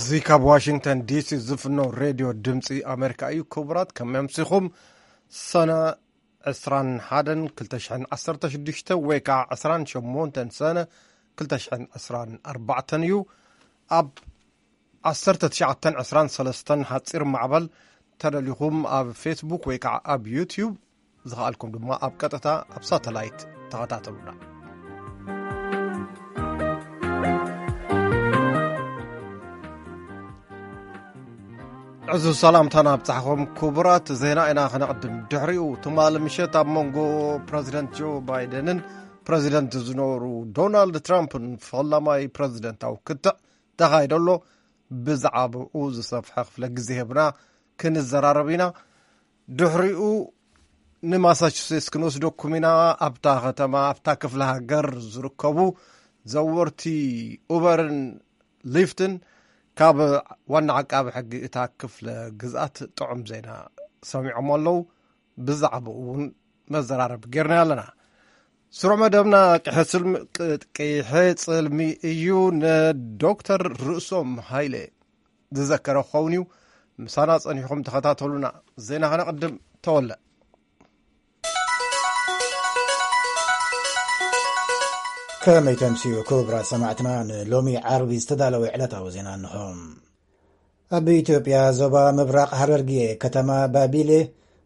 እዚ ካብ ዋሽንግተን ዲሲ ዝፍኖ ሬድዮ ድምፂ ኣሜሪካ እዩ። ክቡራት፣ ከመምሲኹም ሰነ ዕስራን ሓደን ክልተ ሽሕን ዓሰርተ ሽዱሽተ ወይ ከዓ ዕስራን ሸሞንተን ሰነ ክልተ ሽሕን ዕስራን ኣርባዕተን እዩ። ኣብ ዓሰርተ ትሽዓተን ዕስራን ሰለስተን ሓፂር ማዕበል ተደሊኹም ኣብ ፌስቡክ ወይ ከዓ ኣብ ዩትዩብ፣ ዝኸኣልኩም ድማ ኣብ ቀጥታ ኣብ ሳተላይት ተኸታተሉና። ዕዙዝ ሰላምታና ኣብጻሕኹም ክቡራት። ዜና ኢና ከነቕድም። ድሕሪኡ ትማሊ ምሸት ኣብ መንጎ ፕረዚደንት ጆ ባይደንን ፕረዚደንት ዝነበሩ ዶናልድ ትራምፕን ፈላማይ ፕረዚደንታዊ ክትዕ ተኻይዶ ኣሎ። ብዛዕባኡ ዝሰፍሐ ክፍለ ግዜ ሂብና ክንዘራረብ ኢና። ድሕሪኡ ንማሳቹሴትስ ክንወስደኩም ኢና። ኣብታ ከተማ፣ ኣብታ ክፍለ ሃገር ዝርከቡ ዘወርቲ ኡበርን ሊፍትን ካብ ዋና ዓቃቢ ሕጊ እታ ክፍለ ግዝኣት ጥዑም ዜና ሰሚዖም ኣለዉ። ብዛዕባኡ እውን መዘራረብ ጌርና ኣለና። ስሩዕ መደብና ቅሐ ጽልሚ፣ ቅሐ ጽልሚ እዩ። ንዶክተር ርእሶም ሃይለ ዝዘከረ ክኸውን እዩ። ምሳና ጸኒሕኩም ተኸታተሉና። ዜና ከነቕድም። ተወለ። ከመይ ተምስዩ ክቡራት ሰማዕትና፣ ንሎሚ ዓርቢ ዝተዳለወ ዕለታዊ ዜና እንሆ። ኣብ ኢትዮጵያ ዞባ ምብራቕ ሃረርጌ ከተማ ባቢሌ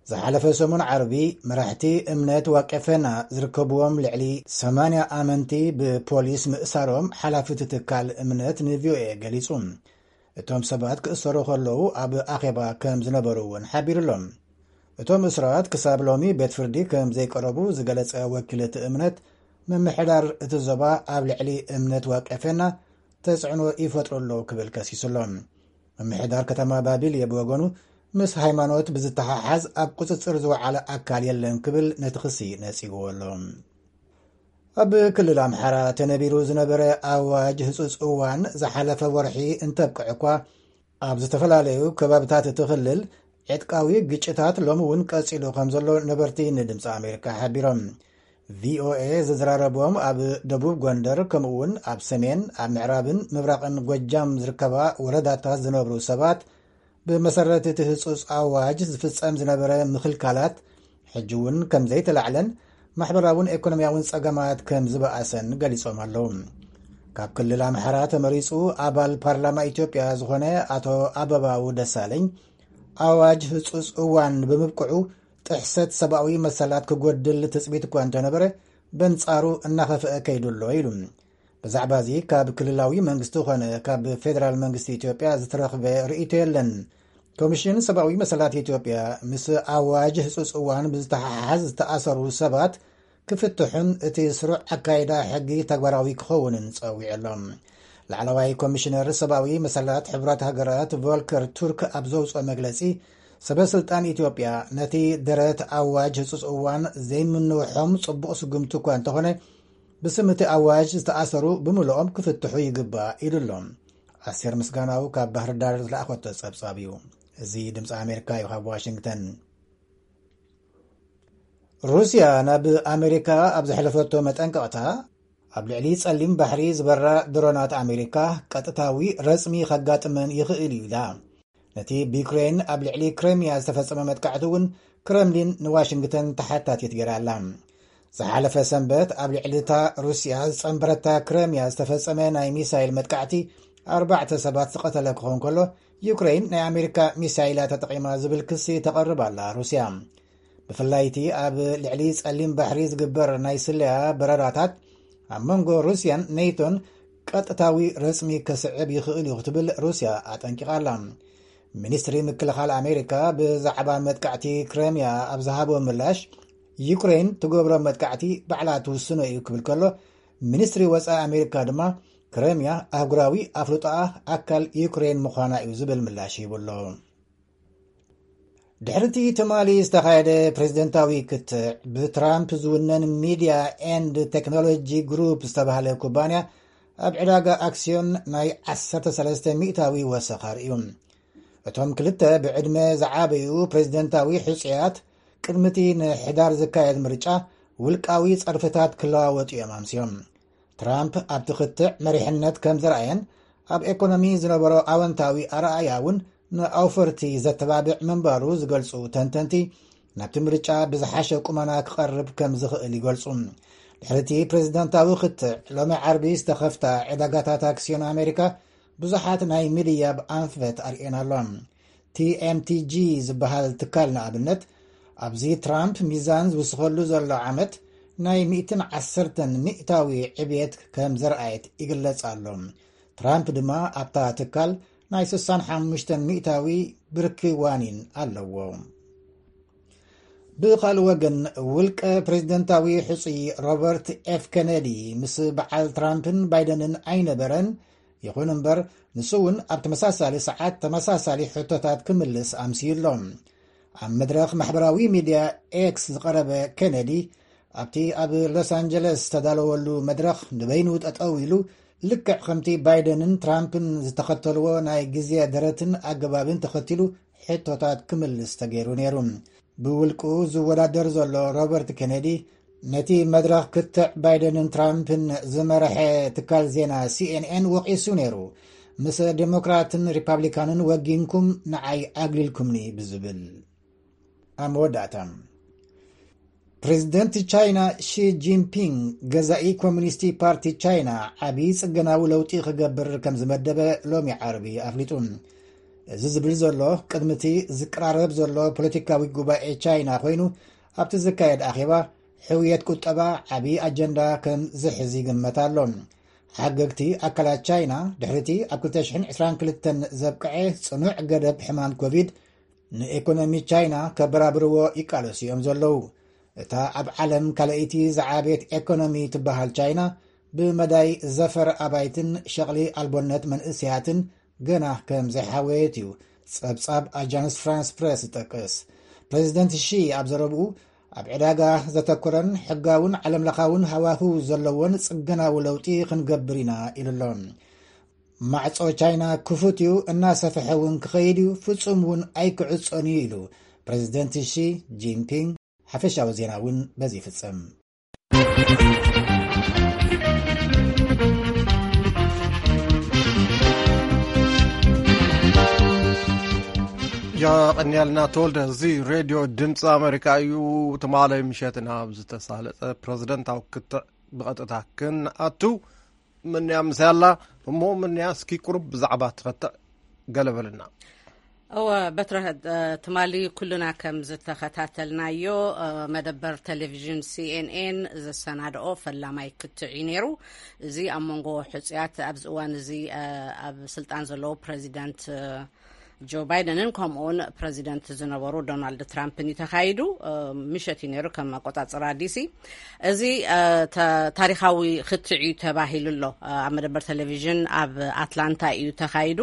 ዝሓለፈ ሰሙን ዓርቢ መራሕቲ እምነት ዋቄፈና ዝርከብዎም ልዕሊ ሰማንያ ኣመንቲ ብፖሊስ ምእሳሮም ሓላፊ እቲ ትካል እምነት ንቪኦኤ ገሊጹ። እቶም ሰባት ክእሰሩ ከለዉ ኣብ ኣኼባ ከም ዝነበሩ እውን ሓቢሩሎም። እቶም እስራት ክሳብ ሎሚ ቤት ፍርዲ ከም ዘይቀረቡ ዝገለጸ ወኪል እቲ እምነት፣ ምምሕዳር እቲ ዞባ ኣብ ልዕሊ እምነት ዋቄፈና ተጽዕኖ ይፈጥሩ ኣለዉ ክብል ከሲሱ ኣሎ። ምምሕዳር ከተማ ባቢልየ ብወገኑ፣ ምስ ሃይማኖት ብዝተሓሓዝ ኣብ ቁጽጽር ዝወዓለ ኣካል የለን ክብል ነቲ ክሲ ነጺግዎ ኣሎ። ኣብ ክልል ኣምሓራ ተነቢሩ ዝነበረ ኣዋጅ ህጹጽ እዋን ዝሓለፈ ወርሒ እንተብቅዕ እኳ፣ ኣብ ዝተፈላለዩ ከባብታት እቲ ክልል ዕጥቃዊ ግጭታት ሎሚ እውን ቀጺሉ ከም ዘሎ ነበርቲ ንድምፂ ኣሜሪካ ሓቢሮም። ቪኦኤ ዘዘራረቦም ኣብ ደቡብ ጎንደር፣ ከምኡ እውን ኣብ ሰሜን፣ ኣብ ምዕራብን ምብራቕን ጎጃም ዝርከባ ወረዳታት ዝነብሩ ሰባት፣ ብመሰረት እቲ ህጹጽ ኣዋጅ ዝፍጸም ዝነበረ ምኽልካላት ሕጂ እውን ከም ዘይተላዕለን ማሕበራውን ኤኮኖሚያውን ጸገማት ከም ዝበኣሰን ገሊጾም ኣለዉ። ካብ ክልል ኣምሓራ ተመሪጹ ኣባል ፓርላማ ኢትዮጵያ ዝኾነ ኣቶ ኣበባው ደሳለኝ፣ ኣዋጅ ህጹጽ እዋን ብምብቅዑ ጥሕሰት ሰብኣዊ መሰላት ክጎድል ትጽቢት እኳ እንተነበረ፣ በንጻሩ እናኸፍአ ከይዱ ኣሎ ኢሉ። ብዛዕባ እዚ ካብ ክልላዊ መንግስቲ ኾነ ካብ ፌደራል መንግስቲ ኢትዮጵያ ዝተረኽበ ርእይቶ የለን። ኮሚሽን ሰብኣዊ መሰላት ኢትዮጵያ፣ ምስ ኣዋጅ ህጹጽ እዋን ብዝተሓሓዝ ዝተኣሰሩ ሰባት ክፍትሑን እቲ ስሩዕ ኣካይዳ ሕጊ ተግባራዊ ክኸውንን ጸዊዑ ኣሎ። ላዕለዋይ ኮሚሽነር ሰብኣዊ መሰላት ሕቡራት ሃገራት ቮልከር ቱርክ ኣብ ዘውፅኦ መግለጺ፣ ሰበ ስልጣን ኢትዮጵያ ነቲ ደረት ኣዋጅ ህጹጽ እዋን ዘይምንውሖም ጽቡቕ ስጉምቲ እኳ እንተኾነ፣ ብስም እቲ ኣዋጅ ዝተኣሰሩ ብምልኦም ክፍትሑ ይግባእ ኢሉ ኣሎ። ኣስቴር ምስጋናው ካብ ባህር ዳር ዝለኣኸቶ ጸብጻብ እዩ። እዚ ድምፂ ኣሜሪካ እዩ፣ ካብ ዋሽንግተን። ሩስያ ናብ ኣሜሪካ ኣብ ዘሕለፈቶ መጠንቀቕታ፣ ኣብ ልዕሊ ጸሊም ባሕሪ ዝበራ ድሮናት ኣሜሪካ ቀጥታዊ ረጽሚ ከጋጥመን ይኽእል እዩ ኢላ። ነቲ ብዩክሬን ኣብ ልዕሊ ክሬምያ ዝተፈጸመ መጥቃዕቲ እውን ክረምሊን ንዋሽንግተን ተሓታቲት ገይራ ኣላ። ዝሓለፈ ሰንበት ኣብ ልዕሊ እታ ሩስያ ዝጸንበረታ ክሬምያ ዝተፈጸመ ናይ ሚሳይል መጥቃዕቲ ኣርባዕተ ሰባት ዝቐተለ ክኸውን ከሎ፣ ዩክሬን ናይ ኣሜሪካ ሚሳይላት ተጠቒማ ዝብል ክሲ ተቐርብ ኣላ ሩስያ። ብፍላይ እቲ ኣብ ልዕሊ ጸሊም ባሕሪ ዝግበር ናይ ስለያ በረራታት ኣብ መንጎ ሩስያን ኔቶን ቀጥታዊ ረጽሚ ከስዕብ ይኽእል እዩ ክትብል ሩስያ ኣጠንቂቓ ኣላ። ሚኒስትሪ ምክልኻል ኣሜሪካ ብዛዕባ መጥቃዕቲ ክሬምያ ኣብ ዝሃቦ ምላሽ፣ ዩክሬን ትገብሮ መጥቃዕቲ ባዕላ ትውስኖ እዩ ክብል ከሎ፣ ሚኒስትሪ ወጻኢ ኣሜሪካ ድማ ክሬምያ ኣህጉራዊ ኣፍልጦኣ ኣካል ዩክሬን ምዃና እዩ ዝብል ምላሽ ሂቡ ኣሎ። ድሕሪ እቲ ትማሊ ዝተኻየደ ፕሬዝደንታዊ ክትዕ፣ ብትራምፕ ዝውነን ሚድያ ኤንድ ቴክኖሎጂ ግሩፕ ዝተባህለ ኩባንያ ኣብ ዕዳጋ ኣክስዮን ናይ ዓሰርተ ሰለስተ ሚእታዊ ወሰኽ ኣርእዩ። እቶም ክልተ ብዕድመ ዝዓበዩ ፕሬዝደንታዊ ሕጹያት፣ ቅድሚ እቲ ንሕዳር ዝካየድ ምርጫ ውልቃዊ ጸርፍታት ክለዋወጡ እዮም ኣምስዮም። ትራምፕ ኣብቲ ክትዕ መሪሕነት ከም ዘርኣየን፣ ኣብ ኤኮኖሚ ዝነበሮ ኣወንታዊ ኣረኣያ እውን ንኣውፈርቲ ዘተባብዕ ምንባሩ ዝገልጹ ተንተንቲ፣ ናብቲ ምርጫ ብዝሓሸ ቁመና ክቐርብ ከም ዝኽእል ይገልጹ። ድሕሪቲ ፕሬዝደንታዊ ክትዕ ሎሚ ዓርቢ ዝተኸፍታ ዕዳጋታት ኣክስዮን ኣሜሪካ ብዙሓት ናይ ምድያብ ኣንፈት ኣርእየን ኣሎ። ቲ ኤም ቲ ጂ ዝበሃል ትካል ንኣብነት፣ ኣብዚ ትራምፕ ሚዛን ዝውስኸሉ ዘሎ ዓመት ናይ ሚእትን ዓሰርተን ሚእታዊ ዕብየት ከም ዘርኣየት ይግለጽ ኣሎ። ትራምፕ ድማ ኣብታ ትካል ናይ ስሳን ሓሙሽተን ሚእታዊ ብርኪ ዋኒን ኣለዎ። ብኻልእ ወገን፣ ውልቀ ፕሬዝደንታዊ ሕጹይ ሮበርት ኤፍ ኬነዲ ምስ በዓል ትራምፕን ባይደንን ኣይነበረን። ይኹን እምበር፣ ንሱ እውን ኣብ ተመሳሳሊ ሰዓት ተመሳሳሊ ሕቶታት ክምልስ ኣምስዩ ኣሎ። ኣብ መድረኽ ማሕበራዊ ሚድያ ኤክስ ዝቐረበ ኬነዲ፣ ኣብቲ ኣብ ሎስ ኣንጀለስ ዝተዳለወሉ መድረኽ ንበይኑ ጠጠው ኢሉ፣ ልክዕ ከምቲ ባይደንን ትራምፕን ዝተኸተልዎ ናይ ግዜ ደረትን ኣገባብን ተኸቲሉ ሕቶታት ክምልስ ተገይሩ ነይሩ። ብውልቁ ዝወዳደር ዘሎ ሮበርት ኬነዲ፣ ነቲ መድረኽ ክትዕ ባይደንን ትራምፕን ዝመርሐ ትካል ዜና ሲ ኤን ኤን ወቒሱ ነይሩ። ምስ ዴሞክራትን ሪፓብሊካንን ወጊንኩም ንዓይ ኣግሊልኩምኒ ብዝብል። ኣብ መወዳእታ፣ ፕሬዝደንት ቻይና ሺ ጂንፒንግ፣ ገዛኢ ኮሚኒስቲ ፓርቲ ቻይና፣ ዓብዪ ጽገናዊ ለውጢ ክገብር ከም ዝመደበ ሎሚ ዓርቢ ኣፍሊጡ። እዚ ዝብል ዘሎ፣ ቅድሚ እቲ ዝቀራረብ ዘሎ ፖለቲካዊ ጉባኤ ቻይና ኮይኑ፣ ኣብቲ ዝካየድ ኣኼባ፣ ሕውየት ቁጠባ ዓብዪ ኣጀንዳ ከም ዝሕዝ ይግመት ኣሎ። ሓገግቲ ኣካላት ቻይና፣ ድሕሪቲ ኣብ ክልተ ሽሕን ዕስራን ክልተን ዘብቅዐ ጽኑዕ ገደብ ሕማም ኮቪድ፣ ንኤኮኖሚ ቻይና ከበራብርዎ ይቃለሱ እዮም ዘለዉ። እታ ኣብ ዓለም ካልኣይቲ ዝዓበየት ኤኮኖሚ ትበሃል ቻይና፣ ብመዳይ ዘፈር ኣባይትን ሸቕሊ ኣልቦነት መንእሰያትን ገና ከም ዘይሓወየት እዩ ጸብጻብ ኣጃንስ ፍራንስ ፕረስ ዝጠቅስ። ፕሬዚደንት ሺ ኣብ ዘረብኡ፣ ኣብ ዕዳጋ ዘተኮረን ሕጋውን ዓለምለኻውን ሃዋህው ዘለዎን ጽገናዊ ለውጢ ክንገብር ኢና ኢሉ ኣሎ። ማዕጾ ቻይና ክፉት እዩ፣ እናሰፍሐ እውን ክኸይድ እዩ፣ ፍጹም እውን ኣይክዕጾን እዩ ኢሉ ፕሬዚደንት ሺ ጂንፒንግ። ሓፈሻዊ ዜና እውን በዚ ይፍጸም። የቐንየልና ተወልደ። እዚ ሬድዮ ድምፂ ኣሜሪካ እዩ። ትማሊ ምሸት ናብ ዝተሳለጠ ፕሬዚደንታዊ ክትዕ ብቐጥታ ክንኣቱ። ምንያ ምሳይ ኣላ እሞ፣ ምንያ እስኪ ቁሩብ ብዛዕባ ትኸትዕ ገለ በልና። እወ፣ በትረ፣ እ፣ ትማሊ ኩልና ከም ዝተኸታተልናዮ፣ እ፣ መደበር ቴሌቪዥን ሲ ኤን ኤን ዘሰናድኦ ፈላማይ ክትዕ እዩ ነይሩ። እዚ ኣብ መንጎ ሕጹያት ኣብዚ እዋን እዚ፣ እ፣ ኣብ ስልጣን ዘለዉ ፕሬዚደንት፣ እ፣ ጆ ባይደንን ከምኡውን ፕሬዚደንት ዝነበሩ ዶናልድ ትራምፕን እዩ ተኻይዱ። እ፣ ምሸት እዩ ነይሩ ከም ኣቆጻጽራ ዲሲ። እዚ፣ እ፣ ተ-፣ ታሪኻዊ ክትዕ እዩ ተባሂሉ ኣሎ። እ፣ ኣብ መደበር ቴሌቪዥን ኣብ ኣትላንታ እዩ ተኻይዱ።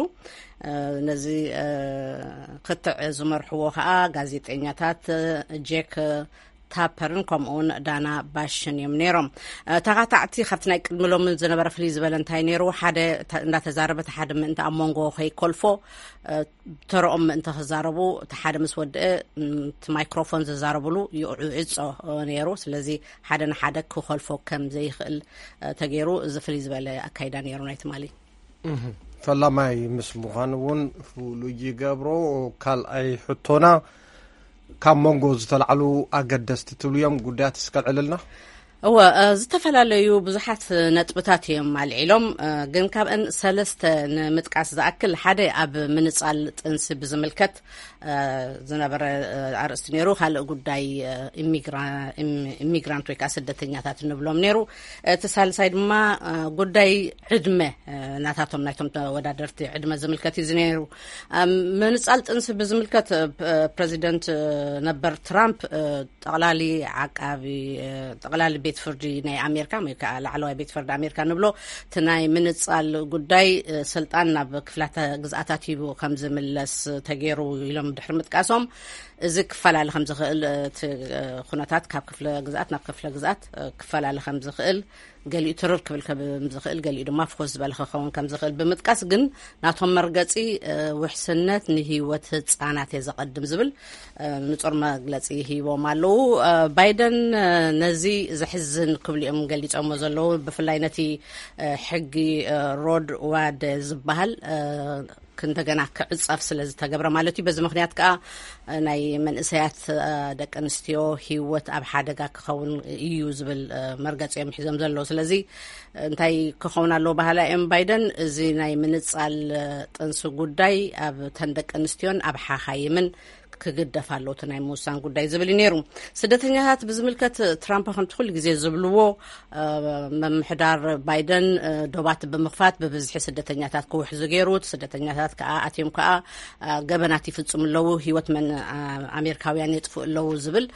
እ፣ ነዚ፣ እ፣ ክትዕ ዝመርሕዎ ኸኣ ጋዜጠኛታት፣ እ፣ ጄክ ታፐርን ከምኡውን ዳና ባሽን እዮም ነይሮም። እ፣ ተኻታዕቲ ካብቲ ናይ ቅድሚ ሎምን ዝነበረ ፍልይ ዝበለ እንታይ ነይሩ? ሓደ ተ-፣ እንዳተዛረበ፣ እቲ ሓደ ምእንቲ ኣብ መንጎ ከይኮልፎ፣ እ፣ ተረኦም ምእንቲ ክዛረቡ፣ እቲ ሓደ ምስ ወድአ፣ ም፣ እቲ ማይክሮፎን ዝዛረብሉ ይዕጾ፣ እ፣ ነይሩ። ስለዚ ሓደ ንሓደ ክኾልፎ ከም ዘይኽእል፣ እ፣ ተገይሩ፣ እዚ ፍልይ ዝበለ ኣካይዳ ነይሩ ናይ ትማሊ። እህ፣ ፈላማይ ምስ ምዃኑ እውን ፍሉይ ይገብሮ። ካልኣይ ሕቶና፣ ካብ መንጎ ዝተላዕሉ ኣገደስቲ ትብልዮም ጉዳያት እስከ ኣልዕልልና። እወ፣ እ፣ ዝተፈላለዩ ብዙሓት ነጥብታት እዮም ኣልዒሎም፣ እ፣ ግን ካብአን ሰለስተ ንምጥቃስ ዝኣክል፣ ሓደ ኣብ ምንጻል ጥንሲ ብዝምልከት፣ እ፣ ዝነበረ፣ እ፣ ኣርእስቲ ነይሩ። ካልእ ጉዳይ፣ እ፣ ኢሚግራ-፣ ኢም-፣ ኢሚግራንት ወይ ከዓ ስደተኛታት እንብሎም ነይሩ። እቲ ሳልሳይ ድማ፣ እ፣ ጉዳይ ዕድመ፣ እ፣ ናታቶም፣ ናይቶም ተወዳደርቲ ዕድመ ዝምልከት እዩ ነይሩ። ኣብ ምንጻል ጥንሲ ብዝምልከት፣ እ፣ ፕ-፣ ፕሬዚደንት፣ እ፣ ነበር ትራምፕ፣ እ፣ ጠቕላሊ ዓቃቢ፣ እ፣ ጠቕላሊ ቤት ፍርዲ ናይ ኣሜሪካ ወይ ከዓ ላዕለዋይ ቤት ፍርዲ ኣሜሪካ ንብሎ፣ እቲ ናይ ምንጻል ጉዳይ፣ እ፣ ስልጣን ናብ ክፍላተ ግዝኣታት ሂቡ ከም ዝምለስ ተገይሩ ኢሎም ድሕሪ ምጥቃሶም፣ እዚ ክፈላለ ከም ዝኽእል፣ እ፣ እቲ፣ እ፣ ኩነታት ካብ ክፍለ ግዝኣት ናብ ክፍለ ግዝኣት፣ እ፣ ክፈላለ ከም ዝኽእል ገሊኡ ትርር ክብል ከም ዝኽእል፣ ገሊኡ ድማ ፍኹስ ዝበለ ክኸውን ከም ዝኽእል ብምጥቃስ፣ ግን ናቶም መርገጺ፣ እ፣ ውሕስነት ንህይወት ህጻናት እየ ዘቐድም ዝብል፣ እ፣ ንጹር መግለጺ ሂቦም ኣለዉ። እ፣ ባይደን፣ እ፣ ነዚ ዘሕዝን ክብሉ እዮም ገሊጾሞ ዘለዉ። ብፍላይ ነቲ፣ እ፣ ሕጊ፣ እ፣ ሮድ ዋደ ዝበሃል፣ እ፣ እንደገና ክዕጸፍ ስለ ዝተገብረ ማለት እዩ። በዚ ምኽንያት ከኣ፣ እ፣ ናይ መንእሰያት፣ እ፣ ደቂ ኣንስትዮ ህይወት ኣብ ሓደጋ ክኸውን እዩ ዝብል፣ እ፣ መርገጺ እዮም ሒዞም ዘለዉ። ስለዚ እንታይ ክኸውን ኣለዎ በሃላ እዮም ባይደን፣ እዚ ናይ ምንጻል፣ እ፣ ጥንሲ ጉዳይ ኣብ ተን ደቂ ኣንስትዮን ኣብ ሓኻይምን ክግደፍ ኣለዎ፣ እቲ ናይ ምውሳን ጉዳይ ዝብል እዩ ነይሩ። ስደተኛታት ብዝምልከት ትራምፕ ከምቲ ኩሉ ግዜ ዝብልዎ፣ እ፣ ምምሕዳር ባይደን፣ እ፣ ዶባት ብምኽፋት ብብዝሒ ስደተኛታት ክውሕዙ ገይሩ። እቲ ስደተኛታት ከኣ ኣትዮም ከኣ፣ እ፣ ገበናት ይፍጽሙ ኣለዉ፣ ህይወት መን፣ እ፣ ኣሜሪካውያን የጥፍኡ ኣለዉ ዝብል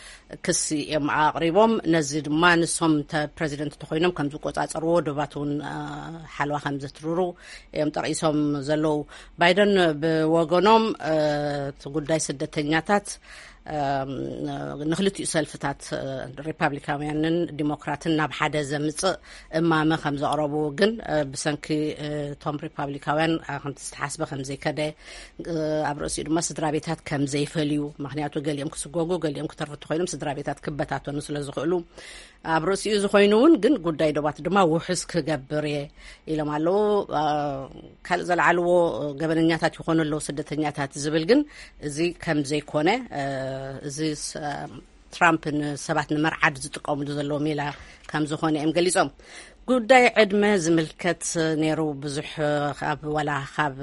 ክሲ እዮም ኣቕሪቦም። ነዚ ድማ ንሶም እንተ ፕረዚደንት እንተኾይኖም ከም ዝቆጻጸርዎ፣ ዶባት እውን፣ እ፣ ሓለዋ ከም ዘትርሩ እዮም ጠቒሶም ዘለዉ። ባይደን ብወገኖም፣ እ፣ እቲ ጉዳይ ስደተኛታት፣ እ፣ ንክልቲኡ ሰልፍታት፣ እ፣ ሪፓብሊካውያንን ዲሞክራትን ናብ ሓደ ዘምጽእ እማመ ከም ዘቕረቡ ግን፣ እ፣ ብሰንኪ፣ እ፣ እቶም ሪፓብሊካውያን፣ እ፣ ከምቲ ዝተሓስበ ከም ዘይከደ፣ እ፣ ኣብ ርእሲኡ ድማ ስድራ ቤታት ከም ዘይፈልዩ፣ ምኽንያቱ ገሊኦም ክስጎጉ፣ ገሊኦም ክተርፉ እንተኾይኖም ስድራ ቤታት ክበታተኑ ስለ ዝኽእሉ፣ ኣብ ርእሲኡ ዝኾይኑ እውን ግን ጉዳይ ዶባት ድማ ውሑስ ክገብር እየ ኢሎም ኣለዉ። እ፣ ካልእ ዘልዓልዎ ገበነኛታት ይኾኑ ኣለዉ ስደተኛታት ዝብል ግን እዚ ከም ዘይኮነ፣ እ፣ እዚ ስ-፣ ትራምፕ ንሰባት ንመርዓድ ዝጥቀምሉ ዘለዉ ሜላ ከም ዝኾነ እዮም ገሊጾም። ጉዳይ ዕድመ ዝምልከት ነይሩ ብዙሕ፣ ካብ፣ ዋላ ካብ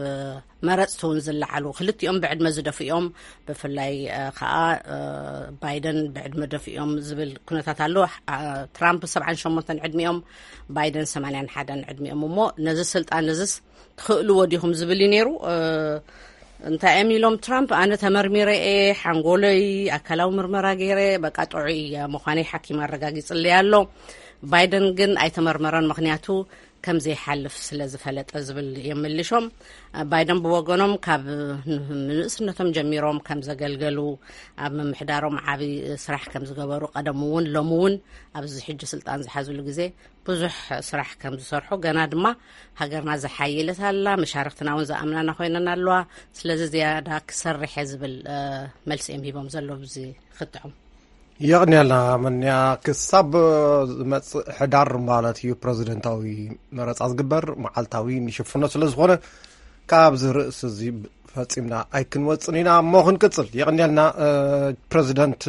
መረጽቲ እውን ዝለዓሉ፣ ክልቲኦም ብዕድመ ዝደፍኡ እዮም። ብፍላይ፣ እ፣ ከኣ፣ እ፣ ባይደን ብዕድመ ደፍኡ እዮም ዝብል ኩነታት ኣሎ። እ፣ ትራምፕ ሰብዓን ሸሞንተን ዕድሚኦም፣ ባይደን ሰማንያን ሓደን ዕድሚኦም። እሞ ነዚ ስልጣን እዚስ ትኽእልዎ ዲኹም ዝብል እዩ ነይሩ። እ፣ እንታይ እዮም ኢሎም ትራምፕ፣ ኣነ ተመርሚረ እየ፣ ሓንጎለይ ኣካላዊ ምርመራ ገይረ፣ በቃ ጥዑይ እየ ምዃነይ ሓኪም ኣረጋጊጽለይ ኣሎ። ባይደን ግን ኣይተመርመረን፣ ምኽንያቱ ከም ዘይሓልፍ ስለ ዝፈለጠ ዝብል እዮም መሊሾም። ባይደን ብወገኖም ካብ ንእስነቶም ጀሚሮም ከም ዘገልገሉ፣ ኣብ ምምሕዳሮም ዓቢ ስራሕ ከም ዝገበሩ፣ ቀደም እውን ሎሚ እውን ኣብዚ ሕጂ ስልጣን ዝሓዝሉ ግዜ ብዙሕ ስራሕ ከም ዝሰርሑ፣ ገና ድማ ሃገርና ዝሓየለት ኣላ፣ መሻርክትና እውን ዝኣምናና ኮይነን ኣለዋ። ስለዚ ዝያዳ ክሰርሕ እየ ዝብል፣ እ፣ መልሲ እዮም ሂቦም ዘሎ ብዚ ክትዖም። የቕንየልና መንያ። ክሳብ ዝመጽእ ሕዳር ማለት እዩ ፕረዚደንታዊ መረጻ ዝግበር፣ መዓልታዊ ንሽፍኖ ስለ ዝኾነ ካብዚ ርእሲ እዚ ፈጺምና ኣይክንወጽን ኢና እሞ ክንቅጽል። የቕንየልና። እ፣ ፕረዚደንት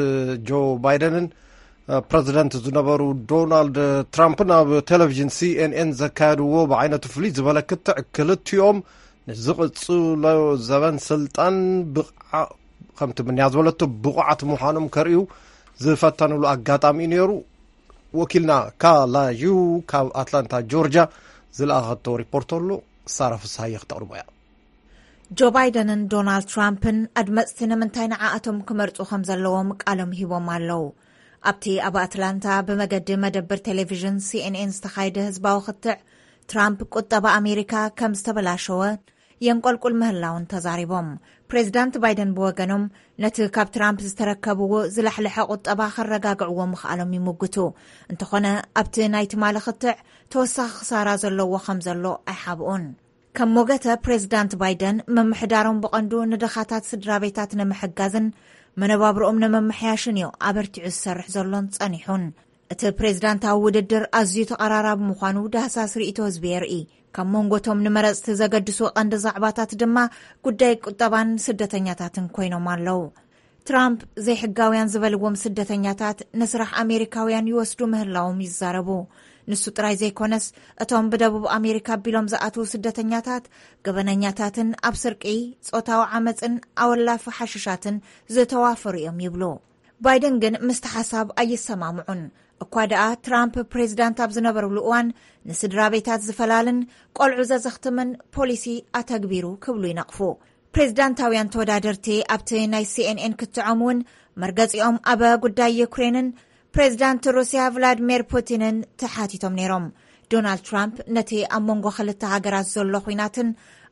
ጆ ባይደንን፣ እ፣ ፕረዚደንት ዝነበሩ ዶናልድ ትራምፕን ኣብ ቴሌቪዥን ሲ ኤን ኤን ዘካየድዎ ብዓይነቱ ፍልይ ዝበለ ክትዕ፣ ክልቲኦም ንዝቕጽሎ ዘበን ስልጣን ብቕዓ-፣ ከምቲ ምንያ ዝበለቶ ብቑዓት ምዃኖም ከርእዩ ዝፈተኑሉ ኣጋጣሚ እዩ ነይሩ። ወኪልና ካላዩ ካብ ኣትላንታ ጆርጅያ ዝለኣኸቶ ሪፖርት ኣሎ፣ ሳራ ፍስሃየ ክተቕርቦ እያ። ጆ ባይደንን ዶናልድ ትራምፕን ኣድመጽቲ ንምንታይ ንዓኣቶም ክመርጹ ከም ዘለዎም ቃሎም ሂቦም ኣለዉ። ኣብቲ ኣብ ኣትላንታ ብመገዲ መደብር ቴሌቪዥን ሲ ኤን ኤን ዝተኻየደ ህዝባዊ ክትዕ፣ ትራምፕ ቁጠባ ኣሜሪካ ከም ዝተበላሸወ የንቆልቁል ምህላውን ተዛሪቦም። ፕሬዚዳንት ባይደን ብወገኖም፣ ነቲ ካብ ትራምፕ ዝተረከብዎ ዝላሕለሐ ቁጠባ ከረጋግዕዎ ምኽኣሎም ይምጉቱ። እንተኾነ፣ ኣብቲ ናይ ትማሊ ክትዕ ተወሳኺ ክሳራ ዘለዎ ከም ዘሎ ኣይሓብኡን። ከም ሞገተ ፕሬዚዳንት ባይደን፣ ምምሕዳሮም ብቐንዱ ንድኻታት ስድራ ቤታት ንምሕጋዝን መነባብርኦም ንምምሕያሽን እዩ ኣበርቲዑ ዝሰርሕ ዘሎን ጸኒሑን። እቲ ፕሬዚዳንታዊ ውድድር ኣዝዩ ተቐራራቢ ምዃኑ ዳህሳስ ርእይቶ ህዝቢ የርኢ። ካብ መንጎቶም ንመረጽቲ ዘገድሱ ቀንዲ ዛዕባታት ድማ ጉዳይ ቁጠባን ስደተኛታትን ኮይኖም ኣለዉ። ትራምፕ ዘይሕጋውያን ዝበልዎም ስደተኛታት ንስራሕ ኣሜሪካውያን ይወስዱ ምህላዎም ይዛረቡ። ንሱ ጥራይ ዘይኮነስ፣ እቶም ብደቡብ ኣሜሪካ ኣቢሎም ዝኣትዉ ስደተኛታት፣ ገበነኛታትን ኣብ ስርቂ፣ ጾታዊ ዓመጽን ኣወላፊ ሓሽሻትን ዝተዋፈሩ እዮም ይብሉ። ባይደን ግን ምስቲ ሓሳብ ኣይሰማምዑን። እኳ ደኣ ትራምፕ ፕሬዚዳንት ኣብ ዝነበሩሉ እዋን ንስድራ ቤታት ዝፈላልን ቆልዑ ዘዘኽትምን ፖሊሲ ኣተግቢሩ ክብሉ ይነቕፉ። ፕሬዚዳንታውያን ተወዳደርቲ ኣብቲ ናይ ሲ ኤን ኤን ክትዖም እውን መርገጺኦም ኣብ ጉዳይ ዩክሬንን ፕሬዚዳንት ሩስያ ቭላድሚር ፑቲንን ተሓቲቶም ነይሮም። ዶናልድ ትራምፕ ነቲ ኣብ መንጎ ክልተ ሃገራት ዘሎ ኲናትን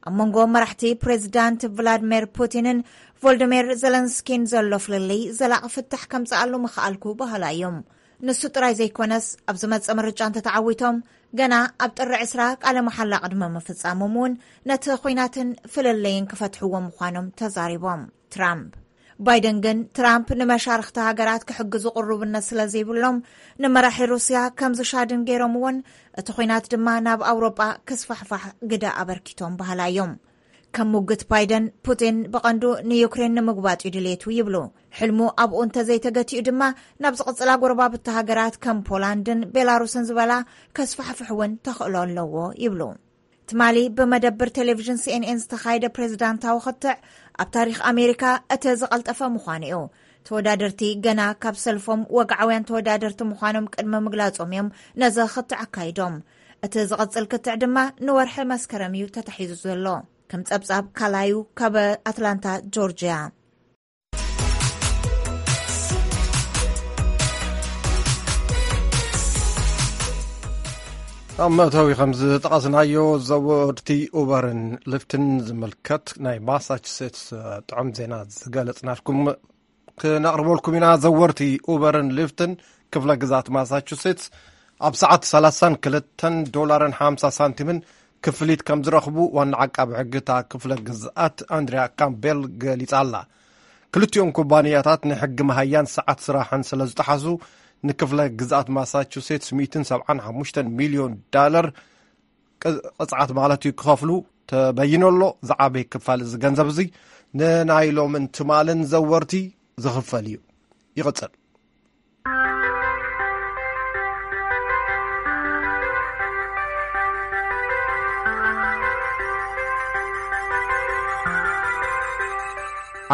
ኣብ መንጎ መራሕቲ ፕሬዚዳንት ቭላድሚር ፑቲንን ቮልዲሚር ዘለንስኪን ዘሎ ፍልልይ ዘላቒ ፍታሕ ከምጽኣሉ ምኽኣልኩ በሃላ እዮም። ንሱ ጥራይ ዘይኮነስ፣ ኣብ ዝመጽእ ምርጫ እንተተዓዊቶም፣ ገና ኣብ ጥሪ ዕስራ ቃለ መሓላ ቅድሚ ምፍጻሞም እውን ነቲ ኹናትን ፍልልይን ክፈትሕዎ ምዃኖም ተዛሪቦም። ትራምፕ ባይደን ግን፣ ትራምፕ ንመሻርኽቲ ሃገራት ክሕግዙ ቅሩብነት ስለ ዘይብሎም፣ ንመራሒ ሩስያ ከም ዝሻድን ገይሮምዎን፣ እቲ ኹናት ድማ ናብ ኣውሮጳ ክስፋሕፋሕ ግደ ኣበርኪቶም በሃላ እዮም። ከም ሙግት ባይደን፣ ፑቲን ብቐንዱ ንዩክሬን ንምጉባጥ እዩ ድሌቱ ይብሉ። ሕልሙ ኣብኡ እንተዘይተገቲኡ ድማ፣ ናብ ዝቕጽላ ጎረባብቲ ሃገራት ከም ፖላንድን ቤላሩስን ዝበላ ከስፋሕፍሕ እውን ተኽእሎ ኣለዎ ይብሉ። ትማሊ ብመደብር ቴሌቪዥን ሲኤንኤን ዝተኻየደ ፕሬዝዳንታዊ ክትዕ፣ ኣብ ታሪኽ ኣሜሪካ እቲ ዝቐልጠፈ ምዃኑ እዩ። ተወዳደርቲ ገና ካብ ሰልፎም ወግዓውያን ተወዳደርቲ ምዃኖም ቅድሚ ምግላጾም እዮም ነዚ ክትዕ ኣካይዶም። እቲ ዝቐጽል ክትዕ ድማ ንወርሒ መስከረም እዩ ተታሒዙ ዘሎ። ከም ጸብጻብ ካላዩ ካብ ኣትላንታ ጆርጅያ። ኣብ መእተዊ ከም ዝጠቐስናዮ፣ ዘወርቲ ኡበርን ሊፍትን ዝምልከት ናይ ማሳቹሴትስ ጥዑም ዜና ዝገለጽናልኩም ክነቕርበልኩም ኢና። ዘወርቲ ኡበርን ሊፍትን ክፍለ ግዛት ማሳቹሴትስ ኣብ ሰዓት ሰላሳን ክልተን ዶላርን ሓምሳ ሳንቲምን ክፍሊት ከም ዝረኽቡ ዋና ዓቃቢ ሕጊ እታ ክፍለ ግዝኣት ኣንድሪያ ካምቤል ገሊጻ ኣላ። ክልቲኦም ኩባንያታት ንሕጊ መሃያን ሰዓት ስራሕን ስለ ዝጠሓሱ፣ ንክፍለ ግዝኣት ማሳቹሴትስ ሚእትን ሰብዓን ሓሙሽተን ሚልዮን ዳለር ቅጽዓት ማለት እዩ ክኸፍሉ ተበይኑ ኣሎ። ዝዓበየ ክፋል እዚ ገንዘብ እዚ ንናይ ሎምን ትማልን ዘወርቲ ዝኽፈል እዩ። ይቕጽል።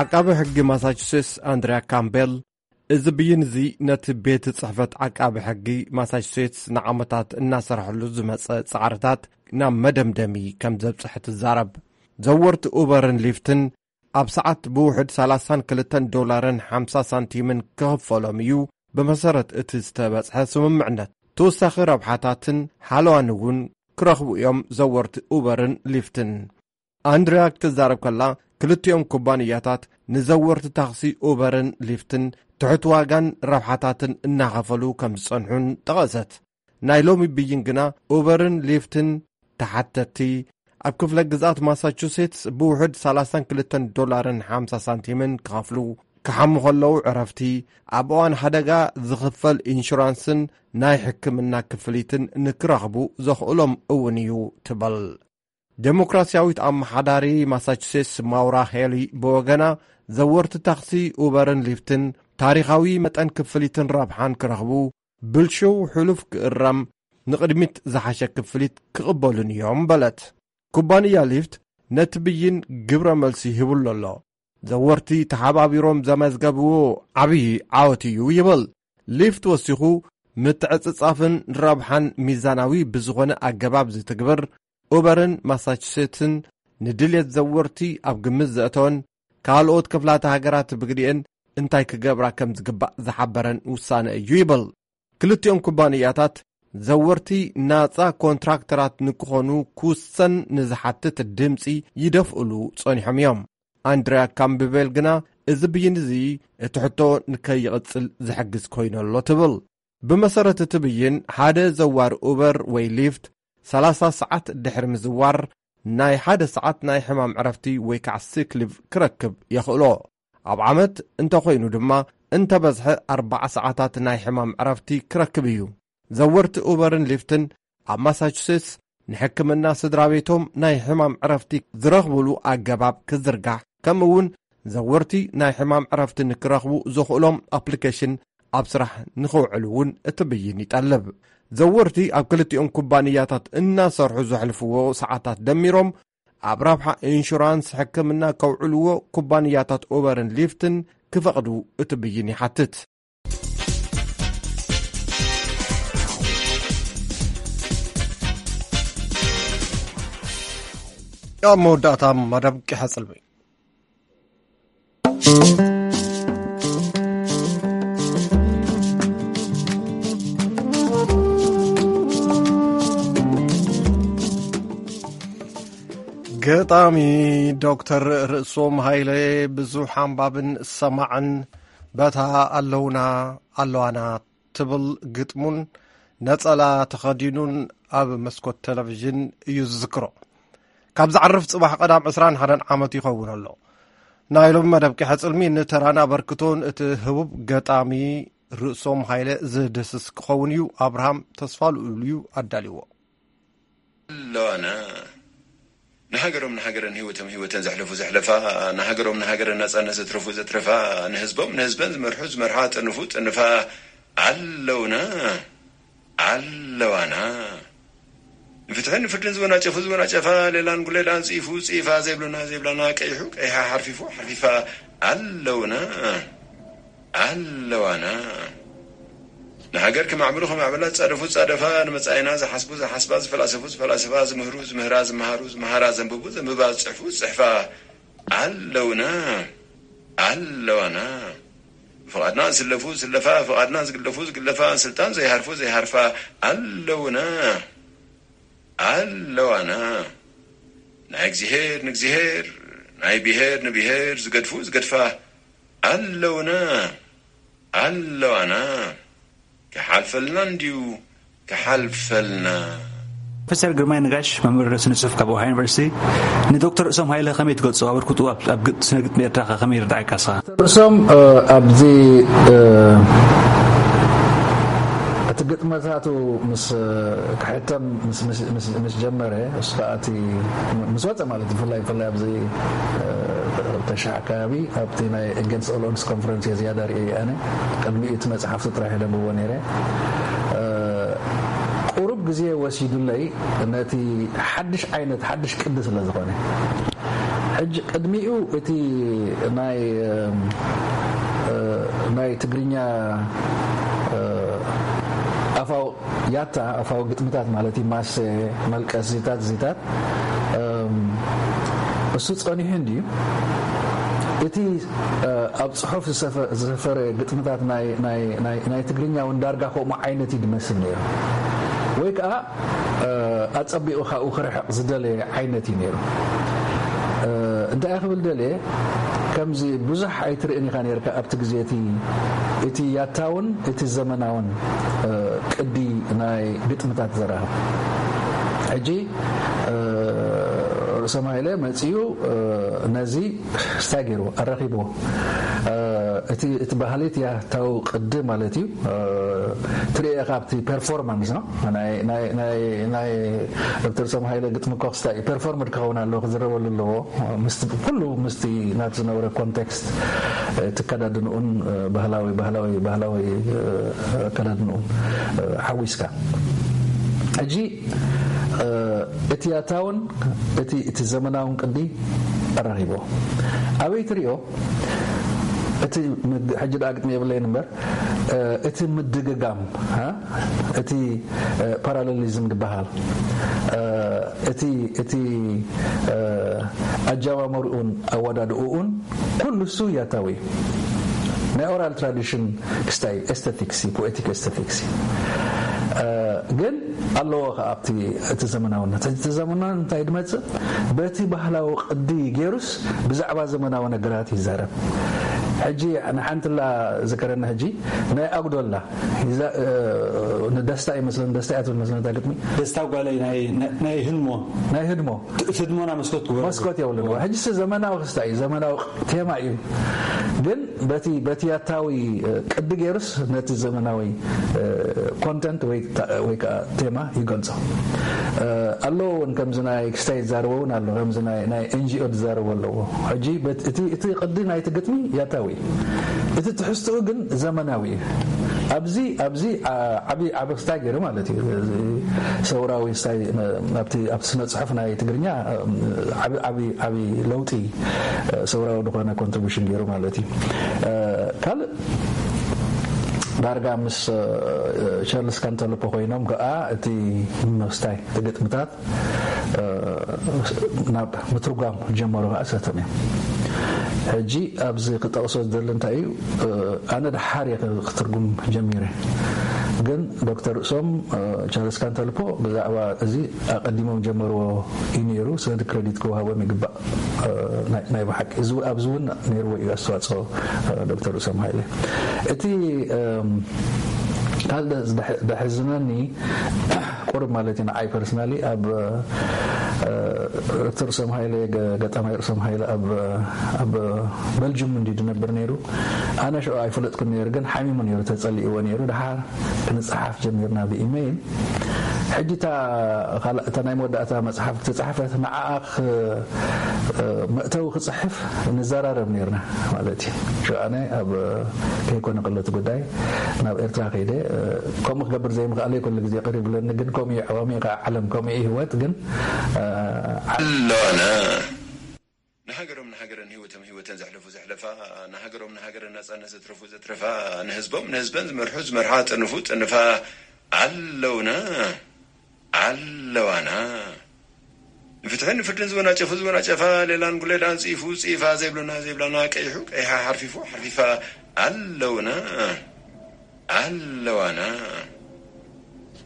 ዓቃቢ ሕጊ ማሳቹሴትስ ኣንድሪያ ካምቤል፣ እዚ ብይን እዚ ነቲ ቤት ጽሕፈት ዓቃቢ ሕጊ ማሳቹሴትስ ንዓመታት እናሰርሐሉ ዝመጸ ጻዕርታት ናብ መደምደሚ ከም ዘብጽሐ ትዛረብ። ዘወርቲ ኡበርን ሊፍትን ኣብ ሰዓት ብውሕድ ሰላሳን ክልተን ዶላርን ሓምሳ ሳንቲምን ክኽፈሎም እዩ፣ ብመሰረት እቲ ዝተበጽሐ ስምምዕነት። ተወሳኺ ረብሓታትን ሓለዋን እውን ክረኽቡ እዮም ዘወርቲ ኡበርን ሊፍትን። ኣንድሪያ ክትዛረብ ከላ፣ ክልቲኦም ኩባንያታት ንዘወርቲ ታክሲ ኡበርን ሊፍትን ትሑት ዋጋን ረብሓታትን እናኸፈሉ ከም ዝጸንሑን ጠቐሰት። ናይ ሎሚ ብይን ግና፣ ኡበርን ሊፍትን ተሓተትቲ ኣብ ክፍለ ግዝኣት ማሳቹሴትስ ብውሕድ ሰላሳን ክልተን ዶላርን ሓምሳ ሳንቲምን ክኸፍሉ፣ ክሓሙ ከለዉ ዕረፍቲ፣ ኣብ እዋን ሓደጋ ዝኽፈል ኢንሹራንስን ናይ ሕክምና ክፍሊትን ንክረኽቡ ዘኽእሎም እውን እዩ ትብል። ዴሞክራሲያዊት ኣመሓዳሪ ማሳቹሴትስ ማውራ ሄሊ ብወገና፣ ዘወርቲ ታክሲ ኡበርን ሊፍትን ታሪኻዊ መጠን ክፍሊትን ረብሓን ክረኽቡ፣ ብልሽው ሕሉፍ ክእረም፣ ንቕድሚት ዝሓሸ ክፍሊት ክቕበሉን እዮም በለት። ኩባንያ ሊፍት ነቲ ብይን ግብረ መልሲ ሂቡሉ ኣሎ። ዘወርቲ ተሓባቢሮም ዘመዝገብዎ ዓብዪ ዓወት እዩ ይብል። ሊፍት ወሲኹ፣ ምትዕጽጻፍን ረብሓን ሚዛናዊ ብዝኾነ ኣገባብ ዝትግብር፣ ኡበርን ማሳቹሴትስን ንድልየት ዘወርቲ ኣብ ግምት ዘእተወን፣ ካልኦት ክፍላተ ሃገራት ብግዲኤን እንታይ ክገብራ ከም ዝግባእ ዝሓበረን ውሳነ እዩ ይብል። ክልቲኦም ኩባንያታት፣ ዘወርቲ ናጻ ኮንትራክተራት ንክኾኑ ክውሰን ንዝሓትት ድምጺ ይደፍእሉ ጸኒሖም እዮም። ኣንድሪያ ካምብቤል ግና፣ እዚ ብይን እዚ እቲ ሕቶ ንከይቕጽል ዝሕግዝ ኮይኑ ኣሎ ትብል። ብመሰረት እቲ ብይን፣ ሓደ ዘዋር ኡበር ወይ ሊፍት ሰላሳ ሰዓት ድሕሪ ምዝዋር፣ ናይ ሓደ ሰዓት ናይ ሕማም ዕረፍቲ ወይ ከዓ ሲክ ሊቭ ክረክብ የኽእሎ። ኣብ ዓመት እንተኾይኑ ድማ፣ እንተበዝሐ ኣርባዓ ሰዓታት ናይ ሕማም ዕረፍቲ ክረክብ እዩ። ዘወርቲ ኡበርን ሊፍትን ኣብ ማሳቹሴትስ ንሕክምና ስድራ ቤቶም ናይ ሕማም ዕረፍቲ ዝረኽብሉ ኣገባብ ክዝርጋሕ፣ ከምኡ እውን ዘወርቲ ናይ ሕማም ዕረፍቲ ንክረኽቡ ዘኽእሎም ኣፕሊኬሽን ኣብ ስራሕ ንኽውዕሉ እውን እቲ ብይን ይጠልብ። ዘወርቲ ኣብ ክልቲኦም ኩባንያታት እናሰርሑ ዘሕልፍዎ ሰዓታት ደሚሮም፣ ኣብ ረብሓ ኢንሹራንስ ሕክምና ከውዕልዎ ኩባንያታት ኡበርን ሊፍትን ክፈቕዱ እቲ ብይን ይሓትት። ኣብ መወዳእታ መደብ ቂሐ ጽልሚ። ገጣሚ ዶክተር ርእሶም ሃይለ፣ ብዙሕ ኣንባብን ሰማዕን፣ በታ ኣለውና ኣለዋና ትብል ግጥሙን ነጸላ ተኸዲኑን ኣብ መስኮት ቴሌቪዥን እዩ ዝዝክሮ። ካብ ዝዓርፍ ጽባሕ ቀዳም ዕስራን ሓደን ዓመት ይኸውን ኣሎ። ናይ ሎሚ መደብ ቂሐ ጽልሚ ንተራን ኣበርክቶን እቲ ህቡብ ገጣሚ ርእሶም ሃይለ ዝድህስስ ክኸውን እዩ። ኣብርሃም ተስፋ ልኡል እዩ ኣዳልዎ። ኣለዋና ንሃገሮም ንሃገረን ህይወቶም ህይወተን ዘሕለፉ ዘሕለፋ፣ ንሃገሮም ንሃገረን ናጻነት ዘትረፉ ዘትረፋ፣ ንህዝቦም ንህዝበን ዝመርሑ ዝመርሓ፣ ጥንፉ ጥንፋ ኣለውና ኣለዋና። ንፍትሕን ንፍርድን ዝወናጨፉ ዝወናጨፋ፣ ሌላን ጉሌላን ጽይፉ ጽይፋ፣ ዘይብሉና ዘይብላና፣ ቀይሑ ቀይሓ፣ ሓርፊፉ ሓርፊፋ ኣለውና ኣለዋና። ንሃገር ክማዕብሉ ከማዕብላ ዝጻደፉ ዝጻደፋ፣ ንመጻኢና ዝሓስቡ ዝሓስባ፣ ዝፈላሰፉ ዝፈላሰፋ፣ ዝምህሩ ዝምህራ፣ ዝመሃሩ ዝመሃራ፣ ዘንብቡ ዘንብባ፣ ዝጽሕፉ ዝጽሕፋ ኣለውና ኣለዋና። ብፍቓድና ዝስለፉ ዝስለፋ፣ ብፍቓድና ዝግለፉ ዝግለፋ፣ ስልጣን ዘይሃርፉ ዘይሃርፋ ኣለውና ኣለዋና። ናይ እግዚኣብሔር ንእግዚኣብሔር፣ ናይ ብሔር ንብሔር ዝገድፉ ዝገድፋ ኣለውና ኣለዋና። ክሓልፈልና እንድዩ ክሓልፈልና። ፕሮፌሰር ግርማይ ነጋሽ፣ መምህር ስነ ጽሑፍ ካብ ኦሃዮ ዩኒቨርሲቲ፣ ንዶክተር ርእሶም ሃይለ ከመይ ትገልጾ? ኣበርክትኡ ኣብ፣ ኣብ ግጥ-፣ ስነ ግጥሚ ኤርትራ ከ ከመይ ይርድኣካ ንስኻ? ርእሶም፣ እ፣ ኣብዚ፣ እ፣ እቲ ግጥመታቱ ምስ፣ እ፣ ክሕተም ምስ፣ ምስ፣ ምስ፣ ምስ ጀመረ፣ እሱ ከኣ እቲ ምስ ወጸ ማለት እዩ፣ ብፍላይ፣ ብፍላይ ኣብዚ፣ እ፣ ተሽዓ ኣካባቢ ኣብቲ ናይ Against All Odds ኮንፈረንስ እየ ዝያዳ ርእየ ኣነ። ቅድሚኡ እቲ መጽሓፍቱ ጥራሕ እየ ደንብቦ ነይረ። እ፣ ቁሩብ ግዜ ወሲዱለይ ነቲ ሓድሽ ዓይነት፣ ሓድሽ ቅዲ ስለ ዝኾነ። ሕጂ ቅድሚኡ እቲ ናይ፣ እ፣ ናይ ትግርኛ፣ እ፣ ኣፋው ያታ፣ ኣፋዊ ግጥምታት ማለት እዩ፣ ማሰ፣ መልቀስ፣ ዚታት፣ ዚታት፣ እም፣ እሱ ጸኒሑ እንድዩ። እቲ፣ እ፣ ኣብ ጽሑፍ ዝሰፈ-፣ ዝሰፈረ ግጥምታት ናይ፣ ናይ፣ ናይ፣ ናይ ትግርኛ እውን ዳርጋ ከምኡ ዓይነት እዩ ዝመስል ነይሩ። ወይ ከኣ፣ እ፣ ኣጸቢቑ ካብኡ ክርሕቕ ዝደለየ ዓይነት እዩ ነይሩ። እ፣ እንታይ እየ ክብል ደልየ፣ ከምዚ ብዙሕ ኣይትርእን ኢኻ ነይርካ ኣብቲ ግዜ እቲ፣ እቲ ያታውን እቲ ዘመናውን፣ እ፣ ቅዲ ናይ ግጥምታት ዘራኽብ። ሕጂ፣ እ፣ ርእሶም ሃይለ መጺኡ፣ እ፣ ነዚ ስታይ ገይርዎ፣ ኣራኺብዎ። እ፣ እቲ፣ እቲ ባህሊ እቲ ያታዊ ቅዲ ማለት እዩ። እ፣ ትርእዮ ኢኻ ኣብቲ ፐርፎርማንስ ነው። ናይ፣ ናይ፣ ናይ፣ ናይ ዶክተር ርእሶም ሃይለ ግጥሚ እኮ ክስታይ እዩ። ፐርፎርምድ ክኸውን ኣለዎ፣ ክዝረበሉ ኣለዎ። ምስቲ፣ ኩሉ ምስቲ ናቲ ዝነበረ ኮንቴክስት፣ እ፣ እቲ ኣከዳድንኡን፣ እ፣ ባህላዊ፣ ባህላዊ፣ ባህላዊ፣ እ፣ ኣከዳድንኡን፣ እ፣ ሓዊስካ። ሕጂ፣ እ፣ እቲ ያታውን እቲ፣ እቲ ዘመናውን ቅዲ ኣራኺብዎ። ኣበይ ትርእዮ? እቲ ምድ-፣ ሕጂ ደኣ ግጥሚ የብለይን እምበር፣ እ፣ እቲ ምድግጋም፣ ሃ? እቲ፣ እ፣ ፓራሌሊዝም ዝበሃል፣ እ፣ እቲ፣ እቲ፣ እ፣ ኣጀማመርኡን ኣወዳድእኡን ኩሉ እሱ ያታዊ እዩ። ናይ ኦራል ትራዲሽን ክስታይ ኤስቴቲክስ እዩ፣ ፖኤቲክ ኤስቴቲክስ እዩ። እ፣ ግን ኣለዎ ከኣ ኣብቲ፣ እቲ ዘመናውነት። እቲ ዘመናውነት እንታይ ድመጽእ? በቲ ባህላዊ ቅዲ ገይሩስ ብዛዕባ ዘመናዊ ነገራት ይዛረብ። ሕጂ ንሓንትላ ዝከረኒ ሕጂ ናይ ኣጉዶላ ይዛ-፣ እ፣ ንደስታ ይመስለኒ፣ ደስታ እያ ትብል መስለኒ እታ ግጥሚ። ደስታ ጓለይ ናይ፣ ናይ፣ ናይ ህድሞ። ናይ ህድሞ። ት-፣ ህድሞና መስኮት ግበረሉ። መስኮት የብሉን። ሕጂ ሲ ዘመናዊ ክስታይ እዩ፣ ዘመናዊ ቴማ እዩ። ግን በቲ፣ በቲ ያታዊ፣ እ፣ ቅዲ ገይሩስ ነቲ ዘመናዊ፣ እ፣ ኮንተንት ወይ ታ-፣ ወይ ከኣ ቴማ ይገልጾ። እ፣ ኣለዎ እውን ከምዚ ናይ ክስታይ ዝዛረቦ እውን ኣሎ፣ ከምዚ ናይ፣ ናይ ኤን ጂ ኦ ዝዛረቦ ኣለዎ። ሕጂ በት-፣ እቲ፣ እቲ ቅዲ ናይቲ ግጥሚ ያታዊ እዩ። እቲ ትሕዝትኡ ግን ዘመናዊ እዩ። ኣብዚ፣ ኣብዚ፣ ኣ-፣ ዓቢ፣ ዓቢ ክስታይ ገይሩ ማለት እዩ። እዚ ሰውራዊ ስታይ-፣ ኣብቲ፣ ኣብቲ ስነ ጽሑፍ ናይ ትግርኛ፣ እ፣ ዓቢ፣ ዓቢ፣ ዓቢ ለውጢ፣ እ፣ ሰውራዊ ዝኾነ ኮንትሪቡሽን ገይሩ ማለት እዩ። እ፣ ካልእ ዳርጋ ምስ፣ እ፣ ቻርልስ ካንተልፖ ኮይኖም ከኣ እቲ ምስታይ፣ እቲ ግጥምታት፣ እ፣ ናብ ምትርጓም ጀመሩ ከኣ ሰቶም እዮም። ሕጂ ኣብዚ ክጠቕሶ ዝደሊ እንታይ እዩ፣ እ፣ ኣነ ደሓር እየ ክ-፣ ክትርጉም ጀሚረ። ግን ዶክተር ርእሶም፣ እ፣ ቻርልስ ካንተልፖ ብዛዕባ እዚ ኣቐዲሞም ጀመርዎ እዩ ነይሩ። ስለዚ ክሬዲት ክወሃቦም ይግባእ። እ፣ ናይ፣ ናይ ብሓቂ እዚ፣ ኣብዚ እውን ነይርዎ እዩ ኣስተዋጽኦ፣ እ፣ ዶክተር ርእሶም ሃይለ። እቲ፣ እም፣ ካልእ ደ-፣ ዝደሕ-፣ ደሕዝነኒ ቁሩብ ማለት እዩ። ንዓይ ፐርሰናሊ ኣብ እ፣ ርእሶም ሃይለ ገ- ገጣማይ ርእሶም ሃይለ ኣብ ኣብ በልጅም እንዲ ድነብር ነይሩ። ኣነ ሽዑ ኣይፈለጥኩን ነይሩ፣ ግን ሓሚሙ ነይሩ፣ ተጸሊእዎ ነይሩ። ድሓር ክንጽሓፍ ጀሚርና ብኢመይል። ሕጂ እታ ካልእ እታ ናይ መወዳእታ መጽሓፍ ተጻሕፈት ንዓኣ ክ- እ፣ መእተዊ ክጽሕፍ ንዘራረብ ነይርና ማለት እዩ። ሽዑ ኣነ ኣብ ከይኮነ ከሎ እቲ ጉዳይ ናብ ኤርትራ ከይደ፣ እ፣ ከምኡ ክገብር ዘይምኽኣለይ ኩሉ ግዜ ቅር ይብለኒ። ግን ከምኡ እዩ ዓዋሚ፣ ከዓ ዓለም ከምኡ እዩ ህይወት። ግን እ፣ ኣለዋና ንሃገሮም ንሃገረን ህይወቶም ህይወተን ዘሕለፉ ዘሕለፋ፣ ንሃገሮም ንሃገረን ናጻነት ዘትረፉ ዘትረፋ፣ ንህዝቦም ንህዝበን ዝመርሑ ዝመርሓ፣ ጽንፉ ጽንፋ ኣለውና ኣለዋና። ንፍትሕን ንፍርድን ዝወናጨፉ ዝወናጨፋ፣ ሌላን ጉሌላን ጽይፉ ጽይፋ፣ ዘይብሉና ዘይብላና፣ ቀይሑ ቀይሓ፣ ሓርፊፉ ሓርፊፋ ኣለውና ኣለዋና።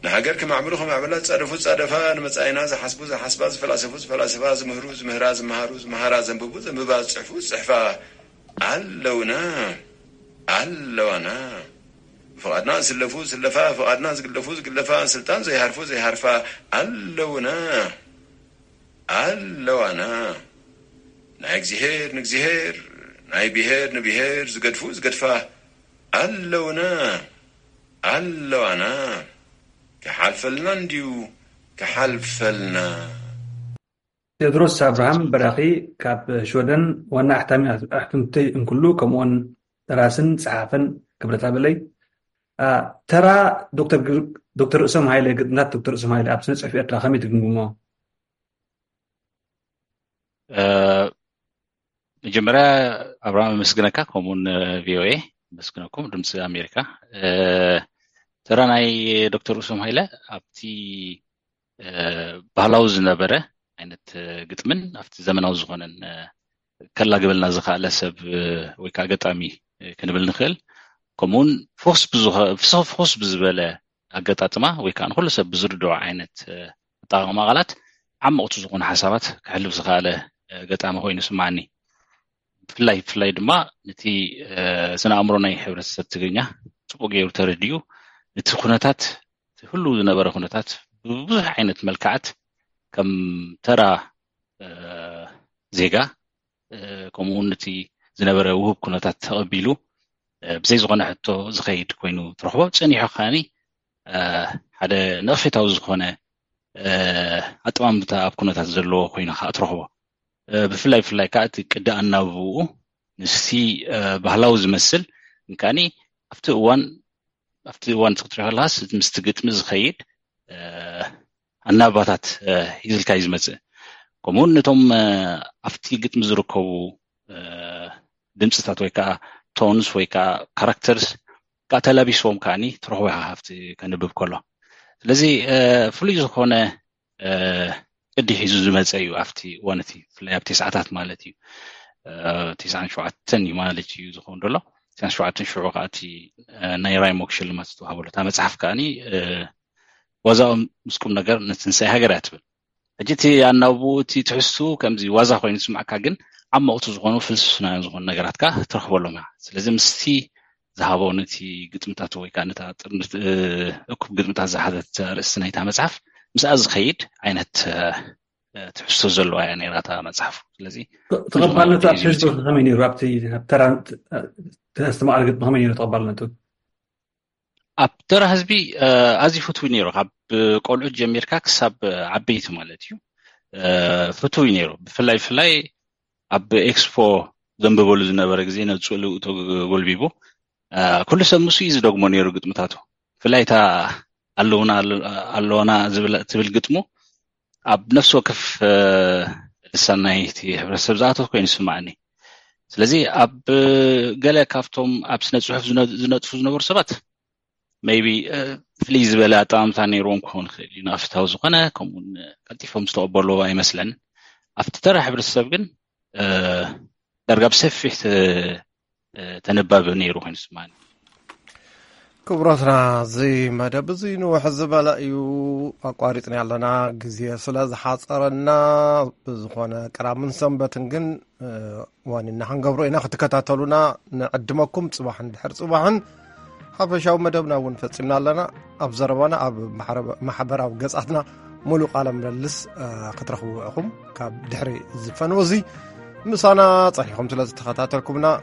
ንሃገር ክማዕብሉ ክማዕብላ ዝጻደፉ ዝጻደፋ፣ ንመጻኢና ዝሓስቡ ዝሓስባ፣ ዝፈላሰፉ ዝፈላሰፋ፣ ዝምህሩ ዝምህራ፣ ዝመሃሩ ዝመሃራ፣ ዘንብቡ ዘንብባ፣ ዝጽሕፉ ዝጽሕፋ ኣለውና ኣለዋና። ብፍቓድና ዝስለፉ ዝስለፋ፣ ብፍቓድና ዝግለፉ ዝግለፋ፣ ስልጣን ዘይሃርፉ ዘይሃርፋ ኣለውና ኣለዋና። ናይ እግዚኣብሔር ንእግዚኣብሔር፣ ናይ ብሔር ንብሔር ዝገድፉ ዝገድፋ ኣለውና ኣለዋና። ክሓልፈልና እንድዩ ክሓልፈልና። ቴድሮስ ኣብርሃም በራኺ ካብ ሽወደን፣ ዋና ኣሕታሚ ኣሕትምቲ እንክሉ፣ ከምኡውን ደራስን ጸሓፍን ክብረት ኣበለይ። አ፣ ተራ ዶክተር ግር- ዶክተር ርእሶም ሃይለ፣ ግጥምታት ዶክተር ርእሶም ሃይለ ኣብ ስነ ጽሑፍ ኤርትራ ከመይ ትግምግሞ? እ፣ መጀመርያ ኣብርሃም ኣመስግነካ፣ ከምኡውን ቪኦኤ ኣመስግነኩም፣ ድምፂ ኣሜሪካ። እ፣ ተራ ናይ ዶክተር ርእሶም ሃይለ ኣብቲ እ፣ ባህላዊ ዝነበረ ዓይነት እ፣ ግጥምን ኣብቲ ዘመናዊ ዝኾነን እ፣ ከላግበልና ዝኸኣለ ሰብ እ፣ ወይ ከዓ ገጣሚ እ፣ ክንብል ንኽእል። ከምኡውን ፍኹስ ብዝኸ- ፍስ- ፍኹስ ብዝበለ ኣገጣጥማ ወይ ከዓ ንኩሉ ሰብ ብዝርድኦ ዓይነት እ፣ ኣጠቃቕማ ቃላት ዓመቕቲ ዝኾኑ ሓሳባት ክሕልፍ ዝኸኣለ እ፣ ገጣሚ ኮይኑ ይስምዓኒ። ብፍላይ ብፍላይ ድማ ነቲ እ፣ ስነ ኣእምሮ ናይ ሕብረተሰብ ትግርኛ ጽቡቕ ገይሩ ተረዲኡ፣ ነቲ ኩነታት እቲ ህሉው ዝነበረ ኩነታት ብብዙሕ ዓይነት መልክዓት ከም ተራ እ፣ ዜጋ እ፣ ከምኡ እውን ነቲ ዝነበረ ውሁብ ኩነታት ተቐቢሉ እ፣ ብዘይ ዝኾነ ሕቶ ዝኸይድ ኮይኑ ትረኽቦ። ጸኒሑ ከዓኒ እ፣ ሓደ ነቐፌታዊ ዝኾነ እ፣ ኣጠማምታ ኣብ ኩነታት ዘለዎ ኮይኑ ከዓ ትረኽቦ። እ፣ ብፍላይ ብፍላይ ከዓ እቲ ቅዲ ኣናብብኡ ምስቲ እ፣ ባህላዊ ዝመስል እንከዓኒ ኣብቲ እዋን ኣብቲ እዋን እቲ ክትሪኦ ከለኻስ ምስቲ ግጥሚ ዝኸይድ እ፣ ኣናባታት እ፣ ሒዝልካ እዩ ዝመፅእ። ከምኡውን ነቶም እ፣ ኣብቲ ግጥሚ ዝርከቡ እ፣ ድምፅታት ወይ ከዓ ቶንስ ወይ ከዓ ካራክተርስ ከዓ ተላቢስዎም ከዓኒ ትረኽቦ ኢኻ ኣብቲ ከንብብ ከሎ። ስለዚ እ፣ ፍሉይ ዝኾነ እ፣ ቅዲ ሒዙ ዝመፀ እዩ ኣብቲ እዋን እቲ፣ ብፍላይ ኣብ ተስዓታት ማለት እዩ። እ፣ ተስዓን ሸውዓተን እዩ ማለት እዩ ዝኸውን ዘሎ። ተስዓን ሸውዓተን ሽዑ ከዓ እቲ እ፣ ናይ ራይሞክ ሽልማት ዝተዋህበሉ እታ መፅሓፍ ከዓኒ እ፣ ዋዛኦም ምስ ቁም ነገር ንትንሳኤ ሃገር እያ ትብል። ሕጂ እቲ ኣናብብኡ እቲ ትሕዝትኡ ከምዚ ዋዛ ኮይኑ ዝስምዓካ፣ ግን ዓመቕቲ ዝኾኑ ፍልስፍናውያን ዝኾኑ ነገራት ከዓ ትረኽበሎም ኢኻ። ስለዚ ምስቲ ዝሃቦ ነቲ ግጥምታቱ ወይ ከዓ ነታ ጥርንፍ እ፣ እኩብ ግጥምታት ዝሓዘት ኣርእስቲ ናይታ መጽሓፍ ምስኣ ዝኸይድ ዓይነት እ፣ ትሕዝቶ ዘለዋ እያ ነይራ እታ መጽሓፍ። ስለዚ ተቐባልነቱ ኣብ ህዝቢ ከመይ ነይሩ? ኣብቲ ኣብ ተራ ተስተማቕር ግጥሚ ከመይ ነይሩ ተቐባልነቱ? ኣብ ተራ ህዝቢ ኣዝዩ ፍትዊ ነይሩ። ካብ ቆልዑት ጀሚርካ ክሳብ ዓበይቲ ማለት እዩ ፍትዊ ነይሩ። ብፍላይ ብፍላይ ኣብ ኤክስፖ ዘንብበሉ ዝነበረ ግዜ ነብሱ ልኡ ተጎልቢቡ ኩሉ ሰብ ምስኡ እዩ ዝደግሞ ነይሩ ግጥምታቱ። ብፍላይ እታ ኣለውና ኣለዋና ትብል ግጥሙ ኣብ ነፍሲ ወከፍ ልሳን ናይቲ ሕብረተሰብ ዝኣተወ ኮይኑ ይስማዓኒ። ስለዚ ኣብ ገለ ካብቶም ኣብ ስነ ፅሑፍ ዝነጥፉ ዝነበሩ ሰባት maybe ፍልይ ዝበለ ኣጠማምታ ነይርዎም ክኸውን ይኽእል እዩ፣ ንኣፍታዊ ዝኾነ ከምኡውን ቀልጢፎም ዝተቐበልዎ ኣይመስለንን። ኣብቲ ተራ ሕብረተሰብ ግን ዳርጋ ብሰፊሕ ተነባቢ ነይሩ ኮይኑ ይስማዓኒ። ክቡራትና፣ እዚ መደብ እዚ ንውሕ ዝበለ እዩ ኣቋሪፅና ኣለና፣ ግዜ ስለ ዝሓፀረና። ብዝኾነ ቅራምን ሰንበትን ግን ዋኒና ክንገብሮ ኢና። ክትከታተሉና ንዕድመኩም። ፅባሕን ድሕር ፅባሕን ሓፈሻዊ መደብና እውን ፈጺምና ኣለና። ኣብ ዘረባና ኣብ ማሕረበ-፣ ማሕበራዊ ገጻትና ሙሉእ ቃለ ምልልስ፣ እ፣ ክትረኽቡ ኢኹም። ካብ ድሕሪ ዝፈን ወዚ ምሳና ጸኒኹም ስለ ዝተኸታተልኩምና